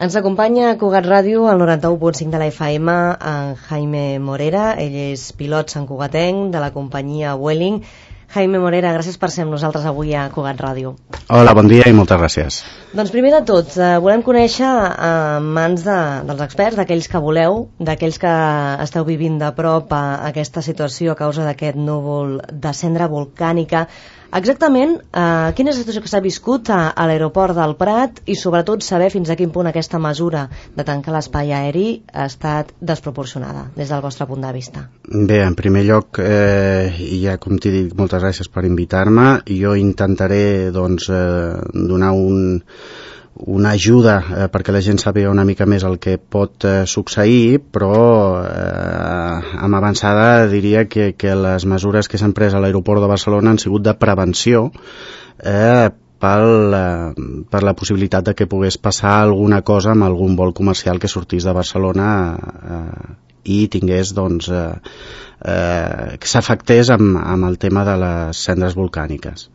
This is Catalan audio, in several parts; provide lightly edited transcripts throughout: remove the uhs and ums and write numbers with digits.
Ens acompanya a Cugat Ràdio, al 91.5 de la FM, en Jaime Morera. Ell és pilot santcugatenc de la companyia Vueling. Jaime Morera, gràcies per ser amb nosaltres avui a Cugat Ràdio. Hola, bon dia i moltes gràcies. Doncs primer de tot, volem conèixer en mans dels experts, d'aquells que voleu, d'aquells que esteu vivint de prop aquesta situació a causa d'aquest núvol de cendra volcànica. Exactament, quina és la situació que s'ha viscut a l'aeroport del Prat i sobretot saber fins a quin punt aquesta mesura de tancar l'espai aeri ha estat desproporcionada des del vostre punt de vista? Bé, en primer lloc, i ja com t'he dit, moltes gràcies per invitar-me. Jo intentaré donar una ajuda perquè la gent sàpiga una mica més el que pot succeir, però amb avançada diria que les mesures que s'han pres a l'aeroport de Barcelona han sigut de prevenció per la possibilitat de que pogués passar alguna cosa amb algun vol comercial que sortís de Barcelona i tingués que s'afectés amb el tema de les cendres volcàniques.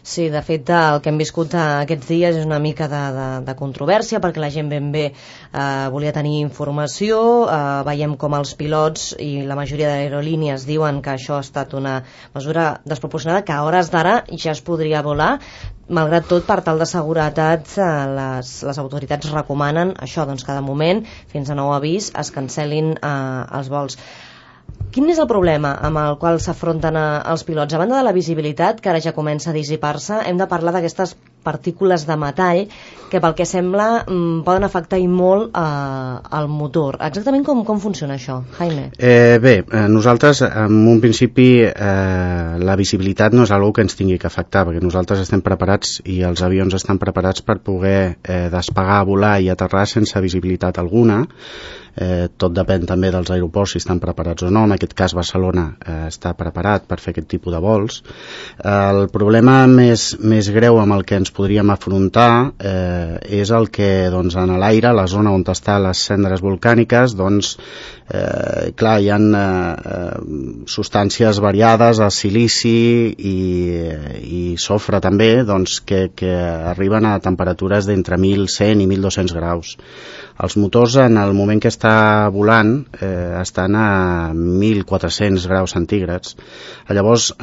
Sí, de fet, el que hem viscut aquests dies és una mica de controvèrsia, perquè la gent ben bé volia tenir informació. Veiem com els pilots i la majoria d'aerolínies diuen que això ha estat una mesura desproporcionada, que a hores d'ara ja es podria volar. Malgrat tot, per tal de seguretat, les autoritats recomanen això, doncs, que de moment, fins a nou avís, es cancel·lin els vols. Quin és el problema amb el qual s'afronten els pilots? A banda de la visibilitat, que ara ja comença a dissipar-se, hem de parlar d'aquestes partícules de metall que, pel que sembla, poden afectar i molt el motor. Exactament com funciona això, Jaime? Bé, nosaltres, en un principi, la visibilitat no és una cosa que ens tingui que afectar, perquè nosaltres estem preparats i els avions estan preparats per poder despegar, volar i aterrar sense visibilitat alguna. Tot depèn també dels aeroports si estan preparats o no. En aquest cas Barcelona està preparat per fer aquest tipus de vols. El problema més greu amb el que ens podríem afrontar és el que en l'aire, la zona on estan les cendres volcàniques, clar, hi ha substàncies variades, el silici i sofre també, que arriben a temperatures d'entre 1.100 i 1.200 graus. Els motors, en el moment que està volant, estan a 1.400 graus centígrads. Llavors,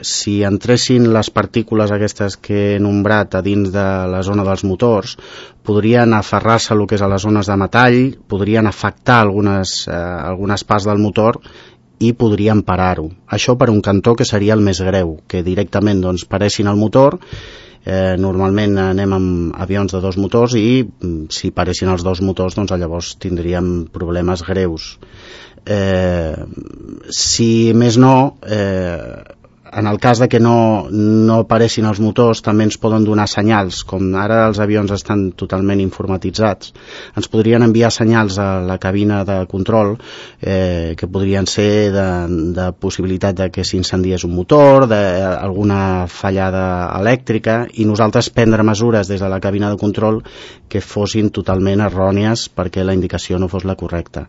si entressin les partícules aquestes que he nombrat a dins de la zona dels motors, podrien aferrar-se a lo que és a les zones de metall, podrien afectar algunes parts del motor i podrien parar-ho. Això per un cantó que seria el més greu, que directament paressin el motor. Normalment anem amb avions de 2 motors i si paressin els 2 motors llavors tindríem problemes greus. Si més no, en el cas de que no paressin els motors, també ens poden donar senyals. Com ara els avions estan totalment informatitzats, ens podrien enviar senyals a la cabina de control que podrien ser de possibilitat de que s'incendiés un motor, d'alguna fallada elèctrica, i nosaltres prendre mesures des de la cabina de control que fossin totalment errònies perquè la indicació no fos la correcta.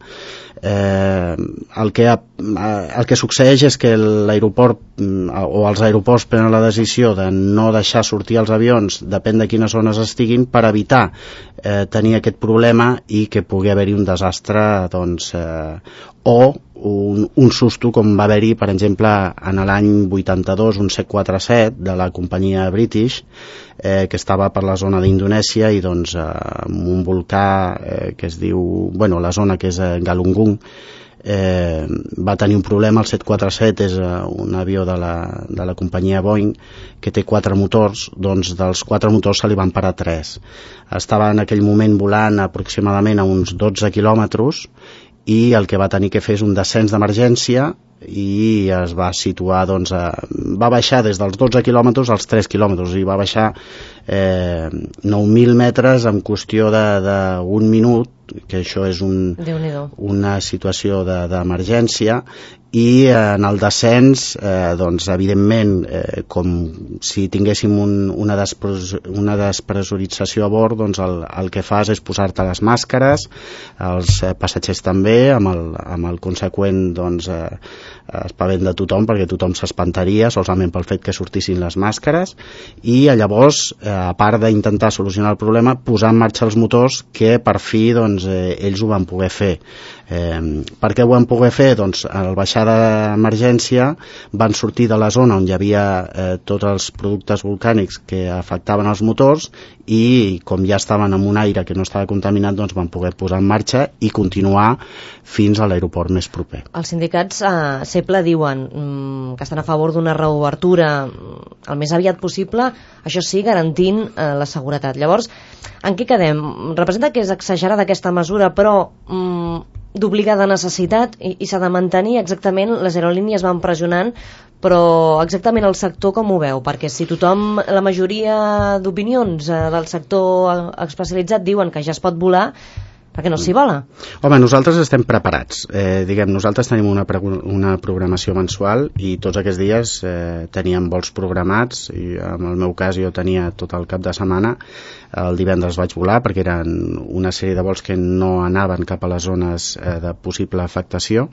El que succeeix és que l'aeroport o els aeroports prenen la decisió de no deixar sortir els avions, depèn de quines zones estiguin, per evitar tenir aquest problema i que pugui haver-hi un desastre o un susto, com va haver-hi, per exemple, en l'any 82, un 747 de la companyia British, que estava per la zona d'Indonèsia i amb un volcà que es diu, la zona que és Galunggung, va tenir un problema. El 747 és un avió de la companyia Boeing que té 4 motors, dels 4 motors se li van parar 3. Estava en aquell moment volant aproximadament a uns 12 quilòmetres i el que va tenir que fer és un descens d'emergència i es va situar, va baixar des dels 12 quilòmetres als 3 quilòmetres i va baixar 9.000 metres en qüestió d'un minut, que això és una situació d'emergència, i en el descens doncs evidentment com si tinguéssim una despressurització a bord, doncs el que fas és posar-te les màscares, els passatgers també, amb el conseqüent doncs espavent de tothom, perquè tothom s'espantaria solament pel fet que sortissin les màscares, i llavors a part d'intentar solucionar el problema, posar en marxa els motors, que per fi doncs ells ho van poder fer. Per què ho van poder fer? Doncs al baixar d'emergència van sortir de la zona on hi havia tots els productes volcànics que afectaven els motors, i com ja estaven amb un aire que no estava contaminat, doncs van poder posar en marxa i continuar fins a l'aeroport més proper. Els sindicats a CEPLA diuen que estan a favor d'una reobertura el més aviat possible, això sí, garantint la seguretat. Llavors, en què quedem? Representa que és exagerada aquesta mesura, però d'obligada necessitat, i s'ha de mantenir? Exactament, les aerolínies van pressionant, però exactament el sector com ho veu? Perquè si tothom, la majoria d'opinions del sector especialitzat diuen que ja es pot volar, perquè no s'hi vola? Home, nosaltres estem preparats. Nosaltres tenim una programació mensual i tots aquests dies teníem vols programats, i en el meu cas jo tenia tot el cap de setmana. El divendres vaig volar perquè eren una sèrie de vols que no anaven cap a les zones de possible afectació,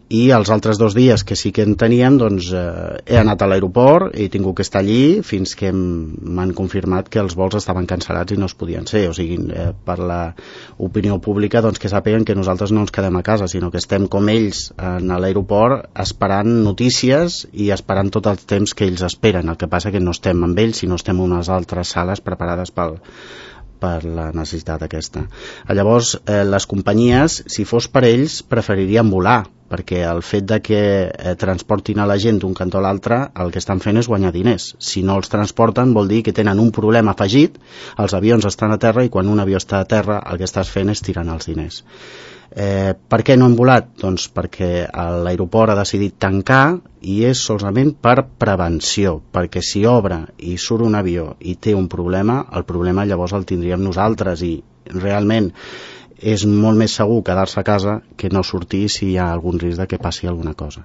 i els altres 2 dies que sí que en teníem, doncs he anat a l'aeroport i he tingut que estar allí fins que m'han confirmat que els vols estaven cancel·lats i no es podien ser. O sigui, per l'opinió pública, doncs que sàpiguen que nosaltres no ens quedem a casa, sinó que estem com ells a l'aeroport esperant notícies i esperant tot el temps que ells esperen. El que passa que no estem amb ells, sinó estem en unes altres sales preparades per la necessitat aquesta. Llavors, les companyies, si fos per ells, preferirien volar, perquè el fet de que transportin a la gent d'un cantó a l'altre, el que estan fent és guanyar diners. Si no els transporten, vol dir que tenen un problema afegit, els avions estan a terra, i quan un avió està a terra, el que estàs fent és tirant els diners. Per què no hem volat? Doncs perquè l'aeroport ha decidit tancar, i és solament per prevenció, perquè si obre i surt un avió i té un problema, el problema llavors el tindríem nosaltres, i realment és molt més segur quedar-se a casa que no sortir si hi ha algun risc de que passi alguna cosa.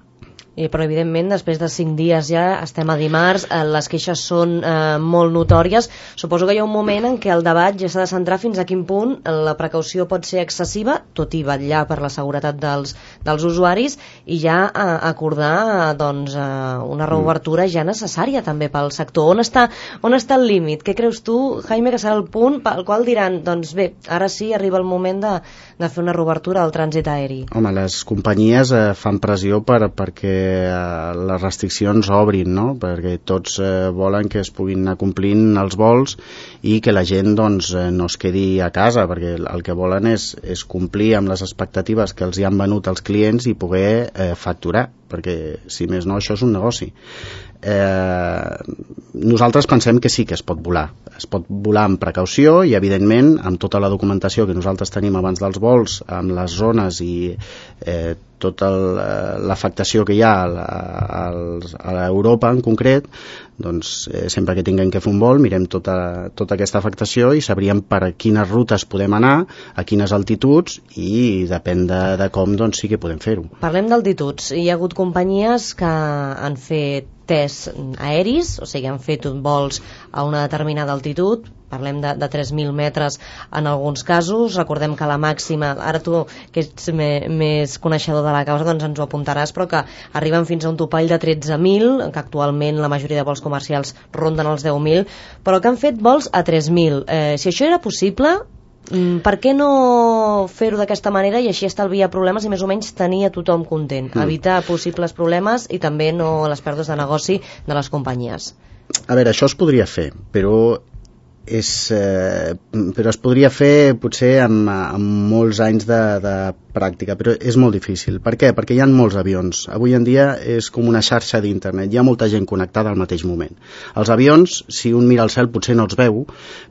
Però evidentment després de 5 dies ja estem a dimarts, les queixes són molt notòries. Suposo que hi ha un moment en què el debat ja s'ha de centrar fins a quin punt la precaució pot ser excessiva, tot i vetllar per la seguretat dels usuaris, i ja acordar doncs, una reobertura ja necessària també pel sector. On està el límit? Què creus tu, Jaime, que serà el punt pel qual diran, doncs bé, ara sí arriba el moment de fer una reobertura al trànsit aeri? Home, les companyies fan pressió perquè les restriccions obrin, no? Perquè tots volen que es puguin anar complint els vols i que la gent doncs, no es quedi a casa, perquè el que volen és complir amb les expectatives que els hi han venut els clients i poder facturar, perquè si més no això és un negoci. Nosaltres pensem que sí que es pot volar amb precaució, i evidentment amb tota la documentació que nosaltres tenim abans dels vols, amb les zones i tota l'afectació que hi ha a l'Europa en concret, doncs sempre que tinguem que fer un vol mirem tota aquesta afectació i sabríem per a quines rutes podem anar, a quines altituds, i depèn de com doncs sí que podem fer-ho. Parlem d'altituds. Hi ha hagut companyies que han fet tests aeris, o sigui, han fet vols a una determinada altitud, parlem de 3.000 metres en alguns casos. Recordem que la màxima, ara tu que ets més coneixedor de la causa doncs ens ho apuntaràs, però que arriben fins a un topall de 13.000, que actualment la majoria de vols comercials ronden els 10.000, però que han fet vols a 3.000. Si això era possible, per què no fer-ho d'aquesta manera i així estalviar problemes i més o menys tenir a tothom content, evitar possibles problemes i també no les pèrdues de negoci de les companyies? A veure, això es podria fer, però es podria fer potser amb molts anys de pràctica, però és molt difícil. Per què? Perquè hi ha molts avions. Avui en dia és com una xarxa d'internet, hi ha molta gent connectada al mateix moment. Els avions, si un mira al cel potser no els veu,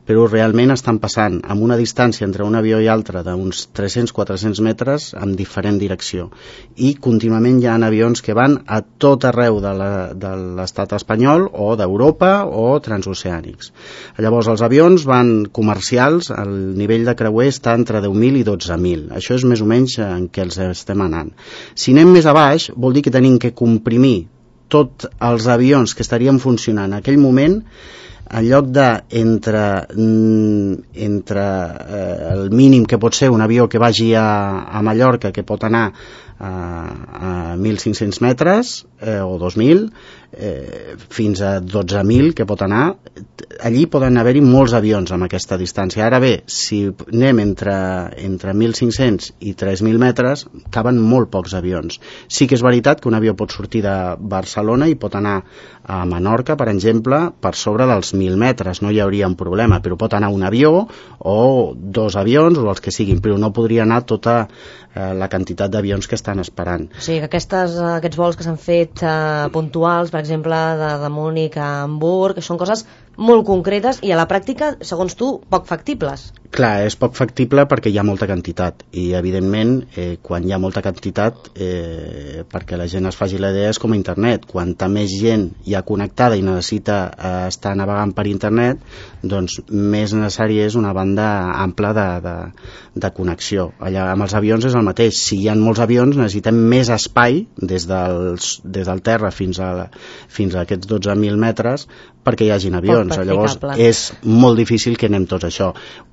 però realment estan passant amb una distància entre un avió i altre d'uns 300-400 metres en diferent direcció, i contínuament hi ha avions que van a tot arreu de l'estat espanyol o d'Europa o transoceànics. Llavors els avions van comercials, el nivell de creuer està entre 10.000 i 12.000. Això és més o menys anys en què els estem anant. Si anem més a baix, vol dir que tenim que comprimir tots els avions que estarien funcionant en aquell moment, en lloc de entre el mínim que pot ser un avió que vagi a Mallorca, que pot anar a 1.500 metres o 2.000, fins a 12.000 que pot anar, allí poden haver-hi molts avions amb aquesta distància. Ara bé, si anem entre 1.500 i 3.000 metres, caben molt pocs avions. Sí que és veritat que un avió pot sortir de Barcelona i pot anar a Menorca, per exemple, per sobre dels 1.000 metres, no hi hauria un problema, però pot anar un avió o 2 avions o els que siguin, però no podria anar tota la quantitat d'avions que estan esperant. O sigui que aquests vols que s'han fet puntuals, per exemple, de Múnich a Hamburg, són coses molt concretes i a la pràctica, segons tu, poc factibles. Clar, és poc factible perquè hi ha molta quantitat i, evidentment, quan hi ha molta quantitat, perquè la gent es faci la idea, és com a internet. Quanta més gent hi ha connectada i necessita estar navegant per internet, doncs més necessari és una banda ampla de connexió. Allà amb els avions és el mateix. Si hi ha molts avions, necessitem més espai des del terra fins a aquests 12.000 metres perquè hi hagin avions. Llavors és molt difícil que anem tots això.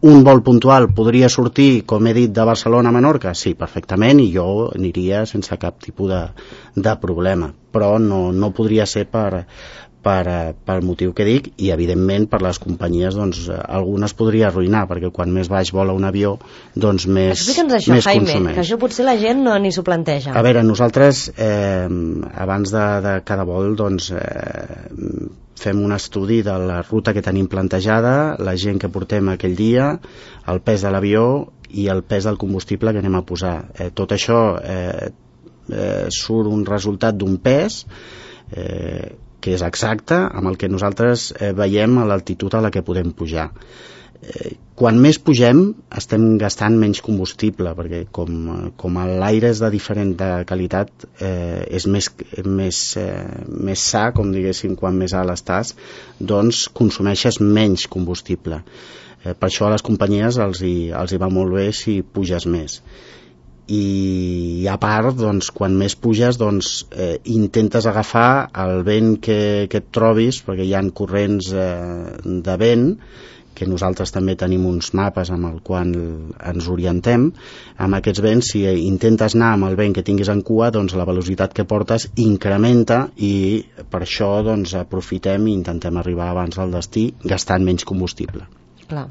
Un vol puntual podria sortir, com he dit, de Barcelona a Menorca? Sí, perfectament, i jo aniria sense cap tipus de problema, però no podria ser pel motiu que dic, i evidentment per les companyies doncs, algunes podria arruïnar, perquè quan més baix vola un avió doncs més això, més Jaime, consumeix. Que això potser la gent ni s'ho planteja. A veure, nosaltres abans de cada vol doncs fem un estudi de la ruta que tenim plantejada, la gent que portem aquell dia, el pes de l'avió i el pes del combustible que anem a posar. Tot això surt un resultat d'un pes que és exacte amb el que nosaltres veiem a l'altitud a la que podem pujar. Quan més pugem estem gastant menys combustible, perquè com l'aire és de diferent de qualitat, és més sa, com diguéssim, quan més alt estàs, doncs consumeixes menys combustible. Per això a les companyies els hi va molt bé si puges més. I a part, doncs, quan més puges, doncs, intentes agafar el vent que et trobis, perquè hi ha corrents de vent, que nosaltres també tenim uns mapes amb el qual ens orientem. Amb aquests vents, si intentes anar amb el vent que tinguis en cua, doncs la velocitat que portes incrementa i per això doncs, aprofitem i intentem arribar abans del destí gastant menys combustible. Clar.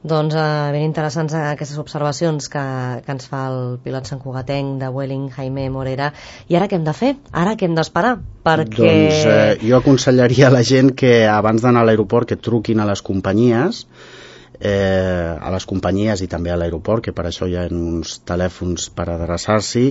Doncs ben interessants aquestes observacions que ens fa el pilot santcugatenc de Vueling, Jaime Morera. I ara què hem de fer? Ara què hem d'esperar? Perquè... Doncs jo aconsellaria a la gent que abans d'anar a l'aeroport que truquin a les companyies i també a l'aeroport, que per això hi ha uns telèfons per adreçar-s'hi.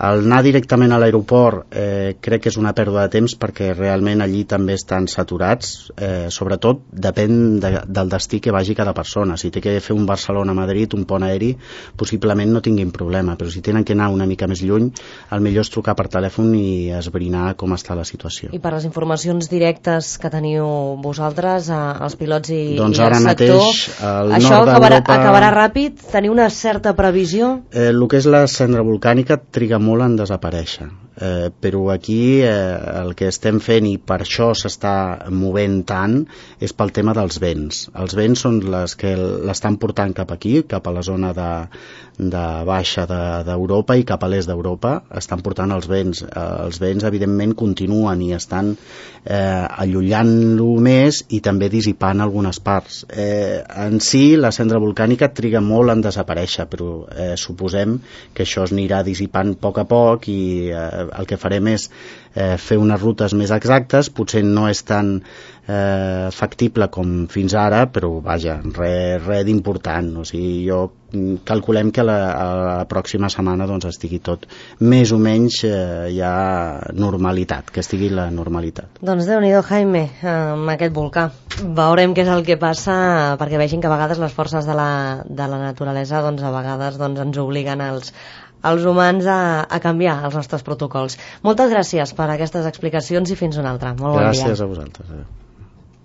El anar directament a l'aeroport crec que és una pèrdua de temps, perquè realment allí també estan saturats, sobretot depèn del destí que vagi cada persona. Si té que fer un Barcelona-Madrid, un pont aeri, possiblement no tinguin problema, però si tenen que anar una mica més lluny, el millor és trucar per telèfon i esbrinar com està la situació. I per les informacions directes que teniu vosaltres, els pilots i el ara sector, mateix, això acabarà ràpid? Teniu una certa previsió? El que és la cendra volcànica triga molt en desaparèixer, però aquí el que estem fent, i per això s'està movent tant, és pel tema dels vents. Els vents són les que l'estan portant cap aquí, cap a la zona de baixa d'Europa i cap a l'est d'Europa, estan portant els vents. Els vents evidentment continuen i estan allullant-lo més i també dissipant algunes parts. En si la cendra volcànica triga molt en desaparèixer, però suposem que això es anirà dissipant a poc i el que farem és fer unes rutes més exactes. Potser no és tan factible com fins ara, però vaja, res d'important. O sigui, calculem que la pròxima setmana doncs, estigui tot més o menys ja normalitat, que estigui la normalitat. Doncs Déu-n'hi-do, Jaime, amb aquest volcà. Veurem què és el que passa, perquè vegin que a vegades les forces de la naturalesa doncs, a vegades doncs, ens obliguen els humans a canviar els nostres protocols. Moltes gràcies per aquestes explicacions i fins una altra. Molt bon dia. Gràcies a vosaltres.